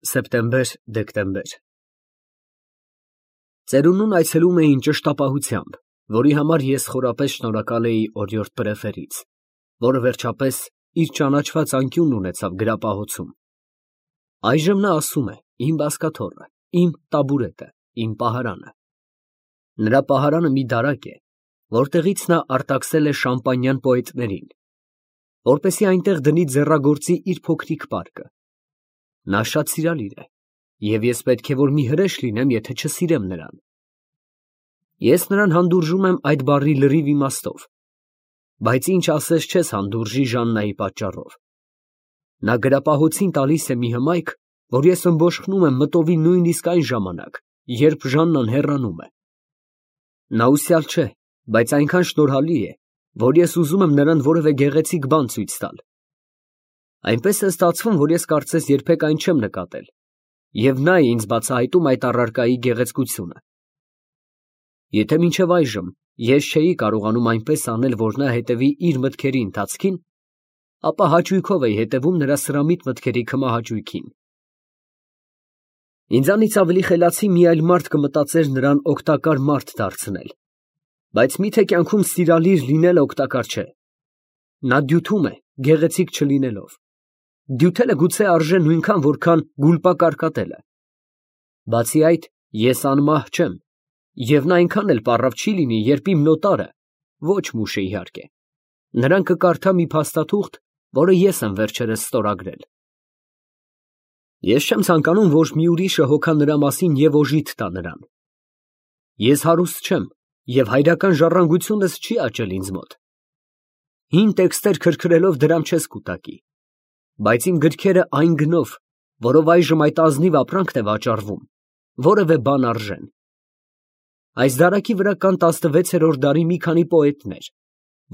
Սեպտեմբեր֊դեկտեմբեր Ծերունուն այցելում էին ճշտապահությամբ, որի համար ես խորապես շնորհակալ էի օրիորդ պրեֆերից, որը վերջապես իր ճանաչված անկյունն ունեցավ գրապահոցում։ Այժմ նա ասում է իմ բազկաթոռը, իմ տաբուրետը, իմ պահարանը։ Նրա պահարանը մի դարակ է, որտեղից նա արտաքսել է շամպանյան պոետներին, որպեսզի այնտեղ դնի ձեռագործի իր փոքրիկ պարկը։ Նա շատ սիրալիր է, և ես պետք է որ մի հրեշ լինեմ, եթե չսիրեմ նրան։ Ես նրան հանդուրժում եմ այդ բառի լրիվ իմաստով, բայց ինչ ասես չես հանդուրժի Ժաննայի պատճառով։ Նա գրապահոցին տալիս է մի հմայք, որ ես ըմբոշխնում եմ մտովի նույնիսկ այն ժամանակ, երբ Ժաննան հեռանում է։ Նա ուսյալ չէ, բայց այնքան շնորհալի է, որ ես ուզում եմ նրան որևէ գեղեցիկ բան ցույց տալ։ Այնպես է ստացվում, որ ես կարծես երբեք այն չեմ նկատել, և նա է ինձ բացահայտում այդ առարկայի գեղեցկությունը։ Եթե մինչև այժմ ես չէի կարողանում այնպես անել, որ նա հետևի իր մտքերի ընթացքին, ապա հաճույքով էի հետևում նրա սրամիտ մտքերի քմահաճույքին։ Ինձանից ավելի խելացի մի այլ մարդ կմտածեր նրան օգտակար մարդ դարձնել, բայց միթե կյանքում սիրալիր լինելը օգտակար չէ։ Նա դյութում է, գեղեցիկ չլինելով։ Դյութելը գուցե արժե նույնքան, որքան գուլպակարկատելը։ Բացի այդ, ես անմահ չեմ, և նա այնքան էլ պառավ չի լինի, երբ իմ նոտարը, ոչ մուշը իհարկե, նրան կկարդա մի փաստաթուղթ, որը ես եմ վերջերս ստորագրել։ Ես չեմ ցանկանում, որ մի ուրիշը հոգա նրա մասին և օժիտ տա նրան։ Ես հարուստ չեմ, և հայրական ժառանգությունս չի աճել ինձ մոտ։ Հին տեքստեր քրքրելով դրամ չես կուտակի, բայց իմ գրքերը այն գնով, որով այժմ այդ ազնիվ ապրանքն է վաճառվում, որևէ բան արժեն։ Այս դարակի վրա կան 16-րդ դարի մի քանի պոետներ,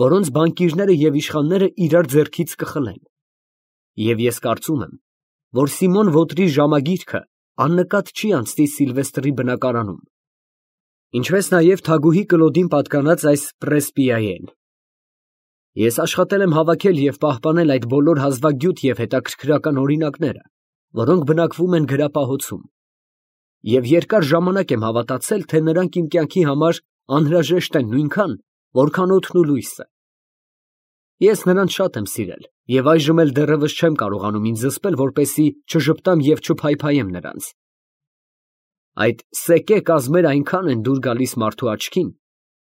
որոնց բանկիրները և իշխանները իրար ձեռքից կխլեն։ Եվ ես կարծում եմ, որ Սիմոն Ոտրի ժամագիրքը աննկատ չի անցնի Սիլվեստրի բնակարանում, ինչպես նաև թագուհի Կլոդին պատկանած այս պրեսպիայեն։ Ես աշխատել եմ հավաքել և պահպանել այդ բոլոր հազվագյուտ և հետաքրքրական օրինակները, որոնք բնակվում են գրապահոցում, և երկար ժամանակ եմ հավատացել, թե նրանք իմ կյանքի համար անհրաժեշտ են նույնքան, որքան օդն ու լույսը։ Ես նրանց շատ եմ սիրել, և այժմ էլ դեռևս չեմ կարողանում ինձ զսպել, որպեսզի չժպտամ և չփայփայեմ նրանց։ Այդ սեկե կազմերը այնքան են դուր գալիս մարդու աչքին,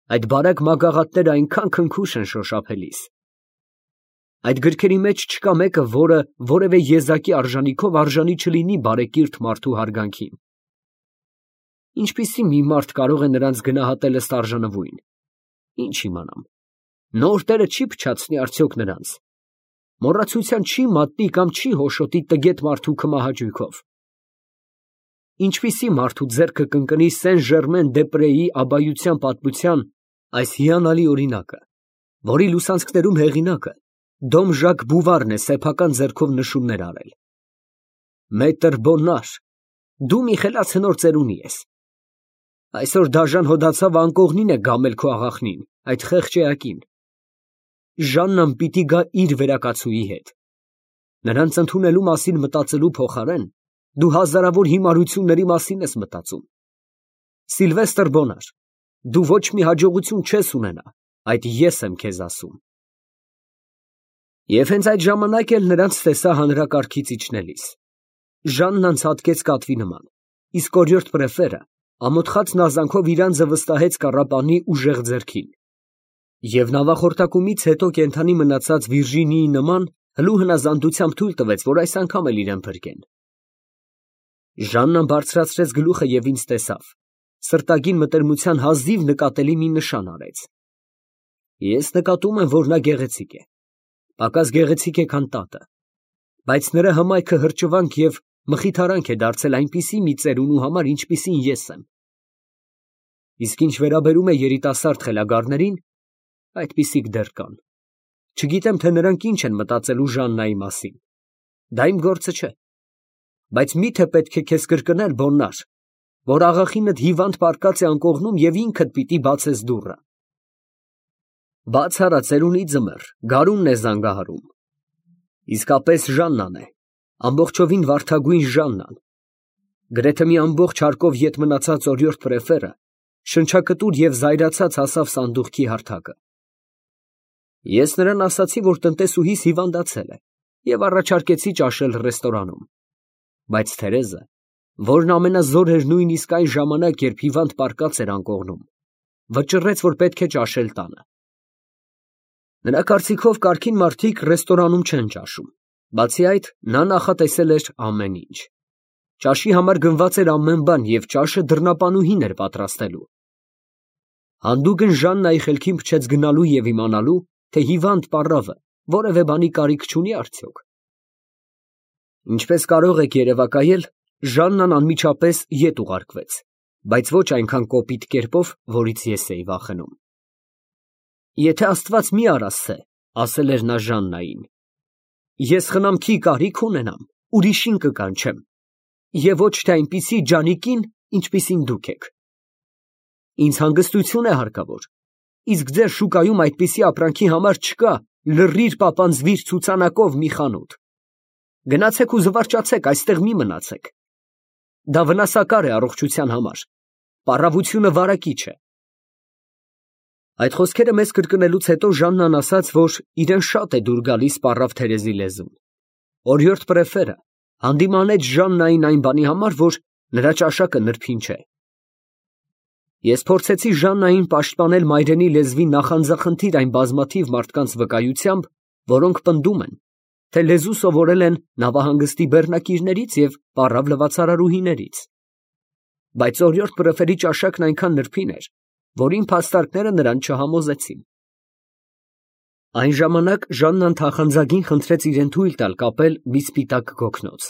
այդ բարակ մագաղատները այնքան քնքուշ են շոշափելիս։ Այդ գրքերի մեջ չկա մեկը, որը որևէ եզակի արժանիքով արժանի չլինի բարեկիրթ մարդու հարգանքին։ Ինչպիսի մի մարդ կարող է նրանց գնահատել ըստ արժանվույն։ Ինչ իմանամ, նոր տերը չի փչացնի արդյոք նրանց, մոռացության չի մատնի կամ չի հոշոտի տգետ մարդու քմահաճույքով։ Ինչպիսի մարդու ձեռքը կընկնի Սեն֊Ժերմեն-դե֊Պրեի աբայության պատմության այս հիանալի օրինակը, որի լուսանցքներում հեղինակը Դոմ Ժակ Բուվարն է սեփական ձեռքով նշումներ արել։ Մետր Բոնար, դու մի խելացնոր ծերունի ես։ Այսօր դաժան հոդացավը անկողնին է գամել քո աղախնին, այդ խեղճ էակին։ Ժաննան պիտի գա իր վերակացուի հետ։ Նրանց ընդունելու մասին մտածելու փոխարեն, դու հազարավոր հիմարությունների մասին ես մտածում։ Սիլվեստր Բոնար, դու ոչ մի հաջողություն չես ունենա, այդ ես եմ քեզ ասում։ Եվ հենց այդ ժամանակ էլ նրանց տեսա հանրակարգից իջնելիս։ Ժաննան ցատկեց կատվի նման, իսկ օրիորդ պրեֆերը ամոթխած նազանքով իր անձը վստահեց կառապանի ուժեղ ձեռքին։ Եվ նավախորտակումից հետո կենդանի մնացած Վիրջինիի նման հլու հնազանդությամբ թույլ տվեց, որ այս անգամ էլ իրեն փրկեն։ Ժաննան բարձրացրեց գլուխը և ինձ տեսավ, սրտագին մտերմության հազիվ նկատելի մի նշան արեց։ Ես նկատում եմ, որ նա գեղեցիկ է, պակաս գեղեցիկ է, քան տատը, բայց նրա հմայքը հրճվանք և մխիթարանք է դարձել այնպիսի մի ծերունու համար, ինչպիսին ես եմ։ Իսկ ինչ վերաբերում է երիտասարդ խելագարներին, այդպիսիք դեռ կան։ Չգիտեմ, թե նրանք ինչ են մտածելու Ժաննայի մասին։ Դա իմ գործը չէ։ Բայց միթե պետք է քեզ կրկնել, Բոննար, որ աղախինդ հիվանդ պառկած է անկողնում և ինքդ պիտի բացես դուռը։ Բաց արա, ծերունի ձմեռ, գարունն է զանգահարում։ Իսկապես Ժաննան է, ամբողջովին վարդագույն Ժաննան, Գրեթե մի ամբողջ հարկով ետ մնացած օրիորդ պրեֆերը շնչակտուր և զայրացած հասավ սանդուղքի հարթակը։ Ես նրան ասացի, որ տնտեսուհիս հիվանդացել է և առաջարկեցի ճաշել ռեստորանում, բայց Թերեզը, որն ամենազոր էր նույնիսկ այն ժամանակ, երբ հիվանդ պառկած էր անկողնում, վճռեց, որ պետք է ճաշել տանը։ Նրա կարծիքով կարգին մարդիկ ռեստորանում չեն ճաշում, բացի այդ, նա նախատեսել էր ամեն ինչ։ Ճաշի համար գնված էր ամեն բան և ճաշը դռնապանուհին էր պատրաստելու։ Հանդուգն Ժաննայի խելքին փչեց գնալու և իմանալու, թե հիվանդ պառավը որևէ բանի կարիք չունի արդյոք։ Ինչպես կարող եք երևակայել, Ժաննան անմիջապես ետ ուղարկվեց, բայց ոչ այնքան կոպիտ կերպով, որից ես էի վախենում։ Եթե Աստված մի արասցե, ասել էր նա Ժաննային, ես խնամքի կարիք ունենամ, ուրիշին կկանչեմ, և ոչ թե այնպիսի ջանիկին, ինչպիսին դուք եք։ Ինձ հանգստություն է հարկավոր, իսկ ձեր շուկայում այդպիսի ապրանքի համար չկա լրիր պապանձվիր ցուցանակով մի խանութ։ Գնացեք ու զվարճացեք, այստեղ մի մնացեք։ Դա վնասակար է առողջության համար, պառավությունը վարակիչ է։ Այդ խոսքերը մեզ կրկնելուց հետո Ժաննան ասաց, որ իրեն շատ է դուր գալիս պառավ Թերեզի լեզուն։ Օրիորդ պրեֆերը հանդիմանեց Ժաննային այն բանի համար, որ նրա ճաշակը նրբին չէ։ Ես փորձեցի Ժաննային պաշտպանել մայրենի լեզվի նախանձախնդիր այն բազմաթիվ մարդկանց վկայությամբ, որոնք պնդում են, թե լեզու սովորել են նավահանգստի բեռնակիրներից և պառավ լվացարարուհիներից։ Բայց օրիորդ պրեֆերի ճաշակն այնքան նրբին էր, որ իմ փաստարկները նրան չհամոզեցին։ Այն ժամանակ Ժաննան թախանձագին խնդրեց իրեն թույլ տալ կապել մի սպիտակ գոգնոց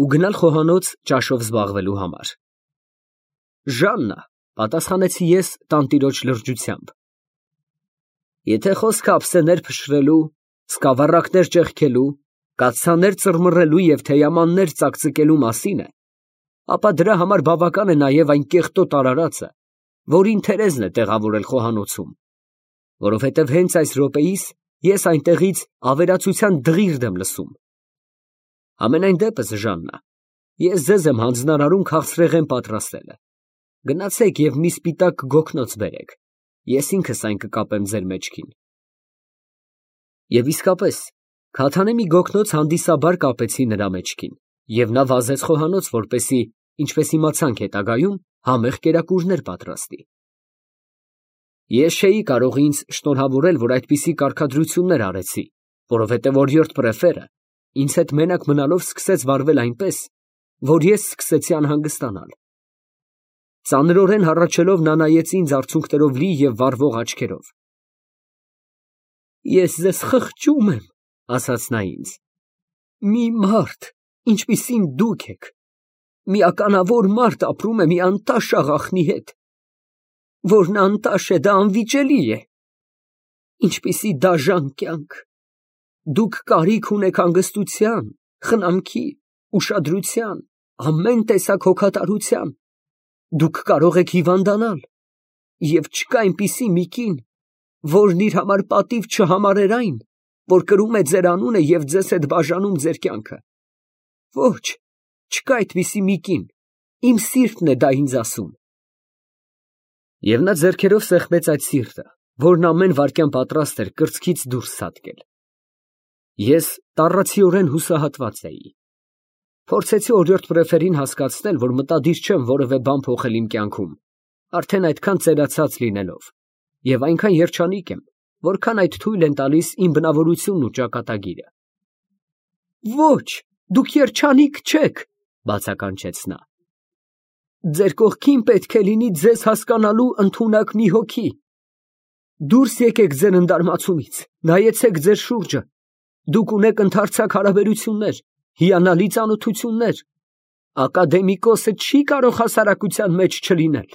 ու գնալ խոհանոց ճաշով զբաղվելու համար։ Ժաննա, պատասխանեցի ես տանտիրոջ լրջությամբ, եթե խոսքը ափսեներ փշրելու, սկավառակներ ճեղքելու, կաթսաներ ծռմռելու և թեյամաններ ծակծկելու մասին է, ապա դրա համար բավական է նաև այն կեղտոտ արարածը, որին Թերեզն է տեղավորել խոհանոցում, որովհետև հենց այս րոպեիս ես այնտեղից ավերածության դղիրդ եմ լսում։ Համենայն դեպս, Ժաննա, ես ձեզ եմ հանձնարարում քաղցրեղեն պատրաստելը։ Գնացեք և մի սպիտակ գոգնոց բերեք, ես ինքս այն կկապեմ ձեր մեջքին։ Եվ իսկապես, քաթանե մի գոգնոց հանդիսաբար կապեցի նրա մեջքին, և նա վազեց խոհանոց, որպեսզի, ինչպես իմացանք հետագայում, համեղ կերակուրներ պատրաստի։ Ես չէի կարող ինձ շնորհավորել, որ այդպիսի կարգադրություններ արեցի, որովհետև օրիորդ պրեֆերը ինձ հետ մենակ մնալով սկսեց վարվել այնպես, որ ես սկսեցի անհանգստանալ։ Ծանրորեն հառաչելով նա նայեց ինձ արցունքներով լի և վառվող աչքերով։ Ես ձեզ խղճում եմ, ասաց նա ինձ, մի մարդ, ինչպիսին դուք եք, մի ականավոր մարդ ապրում է մի անտաշ աղախնի հետ, որն անտաշ է, դա անվիճելի է, ինչպիսի դաժան կյանք, դուք կարիք ունեք հանգստության, խնամքի, ուշադրության, ամեն տեսակ հոգատարության, դուք կարող եք հիվանդանալ, և չկա այնպիսի մի կին, որն իր համար պատիվ չհամարեր այն, որ կրում է ձեր անունը և ձեզ հետ բաժանում ձեր կյանքը։ Ոչ, չկա այդպիսի մի կին, իմ սիրտն է դա ինձ ասում։ Եվ նա ձեռքերով սեղմեց այդ սիրտը, որն ամեն վայրկյան պատրաստ էր կրծքից դուրս ցատկել։ Ես տառացիորեն հուսահատված էի։ Փորձեցի օրիորդ պրեֆերին հասկացնել, որ մտադիր չեմ որևէ բան փոխել իմ կյանքում, արդեն այդքան ծերացած լինելով, և այնքան երջանիկ եմ, որքան այդ թույլ են տալիս իմ բնավորությունն ու ճակատագիրը։ Ոչ, դուք երջանիկ չեք, բացականչեց նա։ Ձեր կողքին պետք է լինի ձեզ հասկանալու ընդունակ մի հոգի։ Դուրս եկեք ձեր ընդարմացումից, նայեցեք ձեր շուրջը, դուք ունեք ընդարձակ հարաբերություններ, հիանալի ծանոթություններ, ակադեմիկոսը չի կարող հասարակության մեջ չլինել։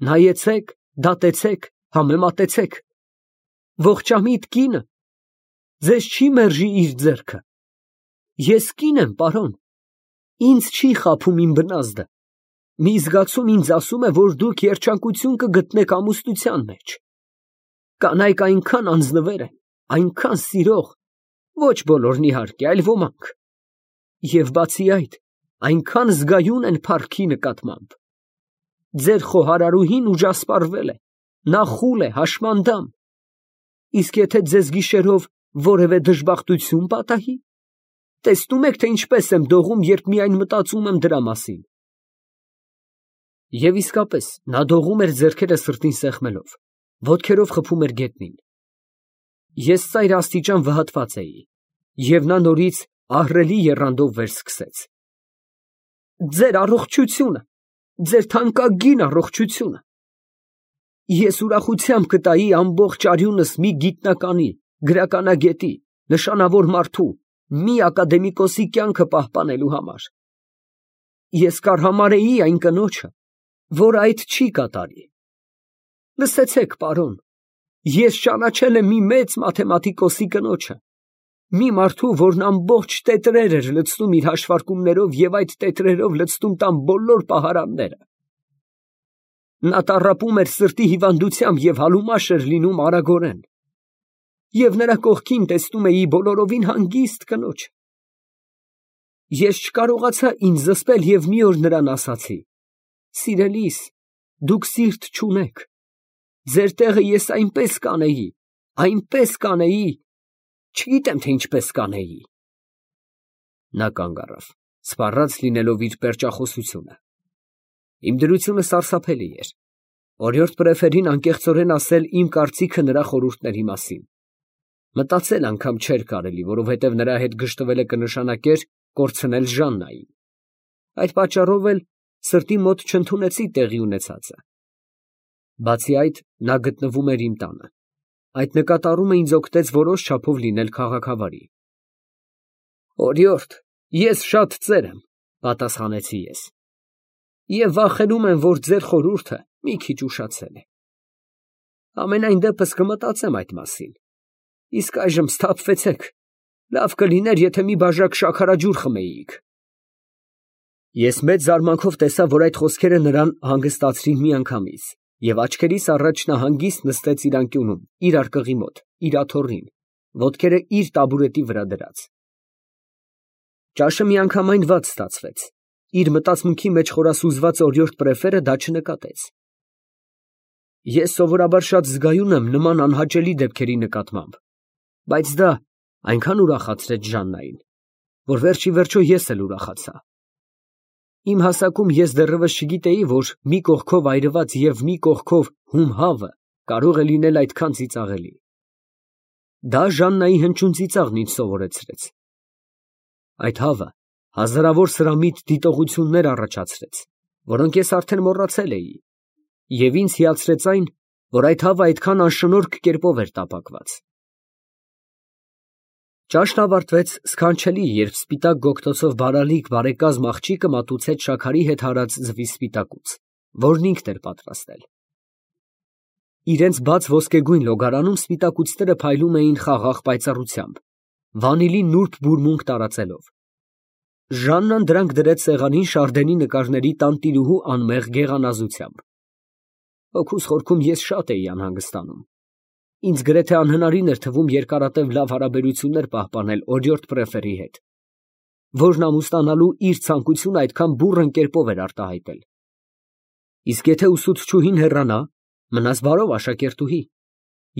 Նայեցեք, դատեցեք, համեմատեցեք։ Ողջամիտ կինը ձեզ չի մերժի իր ձեռքը։ Ես կին եմ, պարոն, ինձ չի խաբում իմ բնազդը։ Մի զգացում ինձ ասում է, որ դուք երջանկություն կգտնեք ամուսնության մեջ։ Կանայք այնքան անձնվեր են, այնքան սիրող, ոչ բոլորն իհարկե, այլ ոմանք։ Եվ բացի այդ, այնքան զգայուն են փառքի նկատմամբ։ Ձեր խոհարարուհին ուժասպառվել է, նա խուլ է, հաշմանդամ։ Իսկ եթե ձեզ գիշերով որևէ դժբախտություն պատահի, տեսնում եք, թե ինչպես եմ դողում, երբ միայն մտածում եմ դրա մասին։ Եվ իսկապես, նա դողում էր ձեռքերը սրտին սեղմելով, ոտքերով խփում էր գետնին։ Ես ծայրաստիճան վհատված էի, և նա նորից ահռելի եռանդով վերսկսեց. «Ձեր առողջությունը, ձեր թանկագին առողջությունը։ Ես ուրախությամբ կտայի ամբողջ արյունս մի գիտնականի, գրականագետի, նշանավոր մարդու, մի ակադեմիկոսի կյանքը պահպանելու համար։ Ես կարհամարեի այն կնոջը, որ այդ չի կատարի։ Լսեցեք, պարոն, ես ճանաչել եմ մի մեծ մաթեմատիկոսի կնոջը, մի մարդու, որն ամբողջ տետրեր էր լցնում իր հաշվարկումներով և այդ տետրերով լցնում տան բոլոր պահարանները։ Նա տառապում էր սրտի հիվանդությամբ և հալումաշ էր լինում արագորեն։ Եվ նրա կողքին տեսնում էի բոլորովին հանգիստ կնոջ։ Ես չկարողացա ինձ զսպել և մի օր նրան ասացի. «Սիրելիս, դուք սիրտ չունեք։ Ձեր տեղը ես այնպես կանեի, չգիտեմ, թե ինչպես կանեի»։ Նա կանգ առավ, սպառած լինելով իր պերճախոսությունը։ Իմ դրությունը սարսափելի էր։ Օրիորդ Պրեֆերին անկեղծորեն ասել իմ կարծիքը նրա խորհուրդների մասին։ Մտածել անգամ չէր կարելի, որովհետև նրա հետ գժտվելը կնշանակեր կորցնել Ժաննային։ Այդ պատճառով էլ սրտի մոտ չընդունեցի տեղի ունեցածը։ Բացի այդ, նա գտնվում էր իմ տանը։ Այդ նկատառումը ինձ օգնեց որոշ չափով լինել քաղաքավարի։ «Օրիորդ, ես շատ ծեր եմ», պատասխանեցի ես, «և վախենում եմ, որ ձեր խորհուրդը մի քիչ ուշացել է։ Համենայն դեպս կմտածեմ այդ մասին։ Իսկ այժմ սթափվեցեք, լավ կլիներ, եթե մի բաժակ շաքարաջուր խմեիք»։ Ես մեծ զարմանքով տեսա, որ այդ խոսքերը նրան հանգստացրին միանգամից, և աչքերիս առաջ նա հանգիստ նստեց իր անկյունում, իր արկղի մոտ, իր աթոռին, ոտքերը իր տաբուրետի վրա դրած։ Ճաշը միանգամայն վատ ստացվեց։ Իր մտածմունքի մեջ խորասուզված օրիորդ Պրեֆերը դա չնկատեց։ Ես սովորաբար շատ զգայուն եմ նման անհաճելի դեպքերի նկատմամբ, բայց դա այնքան ուրախացրեց Ժաննային, որ վերջիվերջո ես էլ ուրախացա։ Իմ հասակում ես դեռևս չգիտեի, որ մի կողքով այրված և մի կողքով հում հավը կարող է լինել այդքան ծիծաղելի։ Դա Ժաննայի հնչյուն ծիծաղն ինձ սովորեցրեց։ Այդ հավը հազարավոր սրամիտ դիտողություններ առաջացրեց, որոնք ես արդեն մոռացել էի, և ինձ հիացրեց այն, որ այդ հավը այդքան անշնորհք կերպով էր տապակված։ Ճաշն ավարտվեց սքանչելի, երբ սպիտակ գոգթոցով բարալիկ բարեկազմ աղջիկը մատուցեց շաքարի հետ հարած ձվի սպիտակուց, որն ինքն էր պատրաստել։ Իրենց բաց ոսկեգույն լոգարանում սպիտակուցները փայլում էին խաղաղ պայծառությամբ, վանիլի նուրբ բուրմունք տարածելով։ Ժաննան դրանք դրեց սեղանին Շարդենի նկարների տանտիրուհու անմեղ գեղանազությամբ։ Հոգուս խորքում ես շատ էի անհանգստանում։ Ինձ գրեթե անհնարին էր թվում երկարատև լավ հարաբերություններ պահպանել օրիորդ Պրեֆերի հետ, որն ամուսնանալու իր ցանկությունը այդքան բուռն կերպով էր արտահայտել։ Իսկ եթե ուսուցչուհին հեռանա, մնաս բարով աշակերտուհի։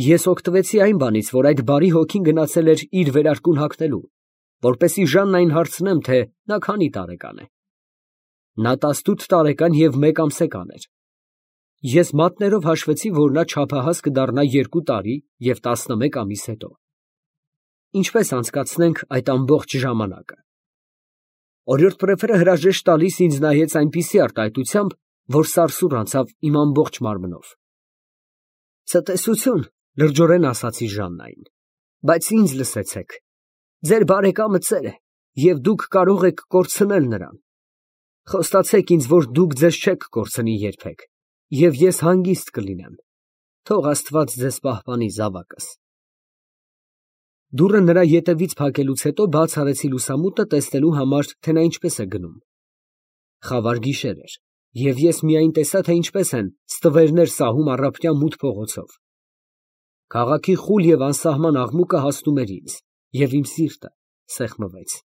Ես օգտվեցի այն բանից, որ այդ բարի հոգին գնացել էր իր վերարկուն հագնելու, որպեսզի Ժաննային հարցնեմ, թե նա քանի տարեկան է։ Նա 18 տարեկան և 1 ամսեկան էր։ Ես մատներով հաշվեցի, որ նա չափահաս կդառնա 2 տարի և 11 ամիս հետո։ Ինչպես անցկացնենք այդ ամբողջ ժամանակը։ Օրիորդ Պրեֆերը հրաժեշտ տալիս ինձ նայեց այնպիսի արտահայտությամբ, որ սարսուռ անցավ իմ ամբողջ մարմնով։ «Ցտեսություն», լրջորեն ասացի Ժաննային, «բայց ինձ լսեցեք։ Ձեր բարեկամը ծեր է, և դուք կարող եք կորցնել նրան։ Խոստացեք ինձ, որ դուք ձեզ չեք կորցնի երբեք, և ես հանգիստ կլինեմ։ Թող Աստված ձեզ պահպանի, զավակս»։ Դուռը նրա ետևից փակելուց հետո բաց արեցի լուսամուտը, տեսնելու համար, թե նա ինչպես է գնում։ Խավար գիշեր էր, և ես միայն տեսա, թե ինչպես են ստվերներ սահում առափնյա մութ փողոցով։ Քաղաքի խուլ և անսահման աղմուկը հասնում էր ինձ, և իմ սիրտը սեղմվեց։